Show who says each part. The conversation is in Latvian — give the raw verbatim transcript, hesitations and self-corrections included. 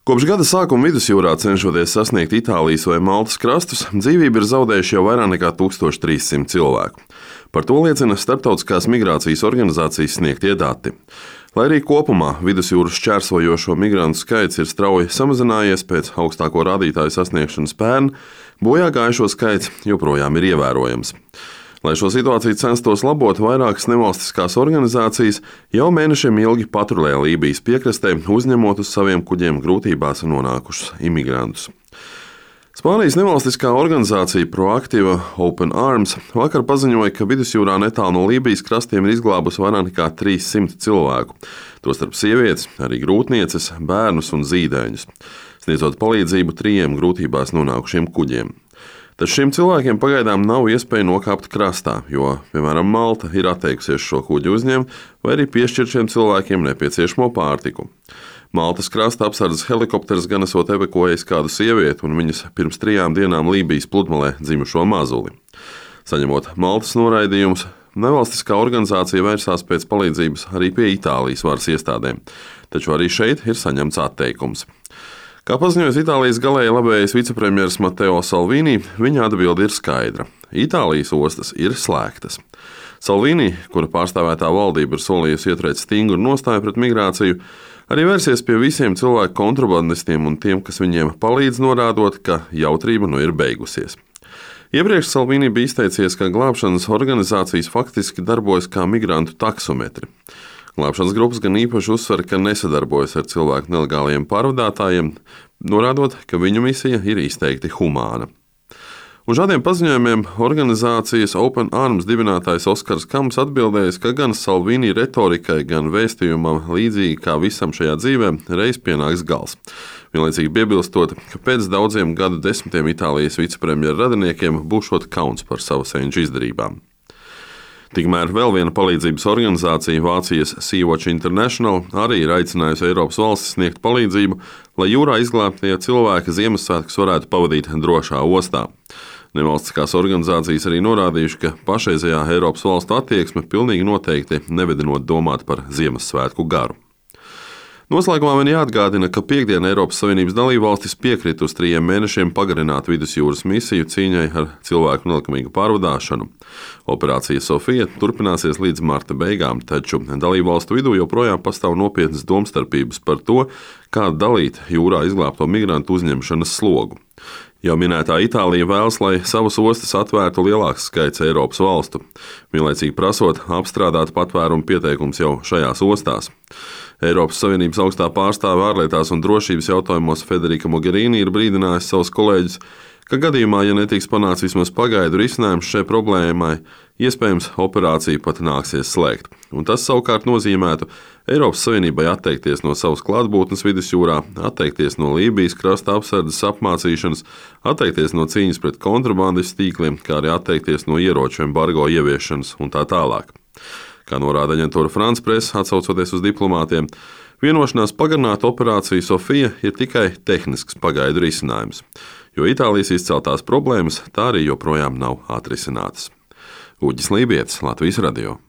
Speaker 1: Kopš gada sākuma vidusjūrā cenšoties sasniegt Itālijas vai Maltas krastus, dzīvību ir zaudējuši jau vairāk nekā tūkstoš trīs simti cilvēku. Par to liecina Starptautiskās migrācijas organizācijas sniegtie dati. Lai arī kopumā vidusjūras šķērsojošo migrantu skaits ir strauji samazinājies pēc augstāko rādītāju sasniegšanas pērn, bojā gājušo skaits joprojām ir ievērojams. Lai šo situāciju censtos labot, vairākas nevalstiskās organizācijas jau mēnešiem ilgi patrulē Lībijas piekrastē, uzņemot uz saviem kuģiem grūtībās nonākušus imigrantus. Spānijas nevalstiskā organizācija Proactiva Open Arms vakar paziņoja, ka vidusjūrā netālu no Lībijas krastiem ir izglābusi vairāk nekā trīs simti cilvēku, tostarp sievietes, arī grūtnieces, bērnus un zīdaiņus, sniedzot palīdzību trījiem grūtībās nonākušiem kuģiem. Taču šiem cilvēkiem pagaidām nav iespēja nokāpt krastā, jo, piemēram, Malta ir atteikusies šo kuģi uzņemt vai arī piešķirt šiem cilvēkiem nepieciešamo pārtiku. Maltas krasta apsardzes helikopters gan esot evakuējis kādu sievieti un viņas pirms trijām dienām Lībijas pludmalē dzimušo mazuli. Saņemot Maltas noraidījumus, nevalstiskā organizācija vērsās pēc palīdzības arī pie Itālijas varas iestādēm, taču arī šeit ir saņemts atteikums. Kā paziņojas Itālijas galēji labējais vicepremjers Matteo Salvini, viņa atbilde ir skaidra. Itālijas ostas ir slēgtas. Salvini, kura pārstāvētā valdība ir solījusi ieturēt stingru nostāju pret migrāciju, arī vērsies pie visiem cilvēku kontrabandistiem un tiem, kas viņiem palīdz, norādot, ka jautrība nu ir beigusies. Iepriekš Salvini bija izteicies, ka glābšanas organizācijas faktiski darbojas kā migrantu taksometri. Glābšanas grupas gan īpaši uzsver, ka nesadarbojas ar cilvēku nelegāliem pārvadātājiem, norādot, ka viņu misija ir izteikti humāna. Uz šādiem paziņojumiem organizācijas Open Arms dibinātājs Oskars Kams atbildējis, ka gan Salvini retorikai, gan vēstījumam līdzīgi kā visam šajā dzīvē reiz pienāks gals. Vienlaicīgi piebilstot, ka pēc daudziem gadu desmitiem Itālijas vicepremjera radiniekiem būšot kauns par savu senču izdarībām. Tikmēr vēl viena palīdzības organizācija, Vācijas Sea-Watch International, arī ir aicinājusi Eiropas valstis sniegt palīdzību, lai jūrā izglābtie cilvēki Ziemassvētkus varētu pavadīt drošā ostā. Nevalstiskās organizācijas arī norādījuši, ka pašreizējā Eiropas valstu attieksme pilnīgi noteikti nevedinot domāt par Ziemassvētku garu. Noslēgumā man jāatgādina, ka piekdien Eiropas Savienības dalībvalstis piekrita uz trījiem mēnešiem pagarināt vidusjūras misiju cīņai ar cilvēku nelikumīgu pārvadāšanu. Operācija Sofija turpināsies līdz marta beigām, taču dalībvalstu vidū joprojām pastāv nopietnas domstarpības par to, kā dalīt jūrā izglābto migrantu uzņemšanas slogu. Jau minētā Itālija vēlas, lai savas ostas atvērtu lielāks skaits Eiropas valstu, vienlaicīgi prasot apstrādāt patvērumu pieteikumus jau šajās ostās. Eiropas Savienības augstā pārstāve ārlietās un drošības jautājumos Federika Mogherini ir brīdinājusi savus kolēģus, ka gadījumā, ja netiks panāks vismaz pagaidu risinājums šai problēmai, iespējams operāciju pat nāksies slēgt. Un tas savukārt nozīmētu Eiropas Savienībai atteikties no savas klātbūtnes vidusjūrā, atteikties no Lībijas krasta apsardzes apmācīšanas, atteikties no cīņas pret kontrabandistu tīkliem, kā arī atteikties no ieroču embargo ieviešanas un tā tālāk. Kā norāda aģentūra France Press, atsaucoties uz diplomātiem, vienošanās pagarināt operāciju Sofija ir tikai tehnisks pagaidu risinājums, jo Itālijas izceltās problēmas tā arī joprojām nav atrisinātas. Uģis Lībietis, Latvijas radio.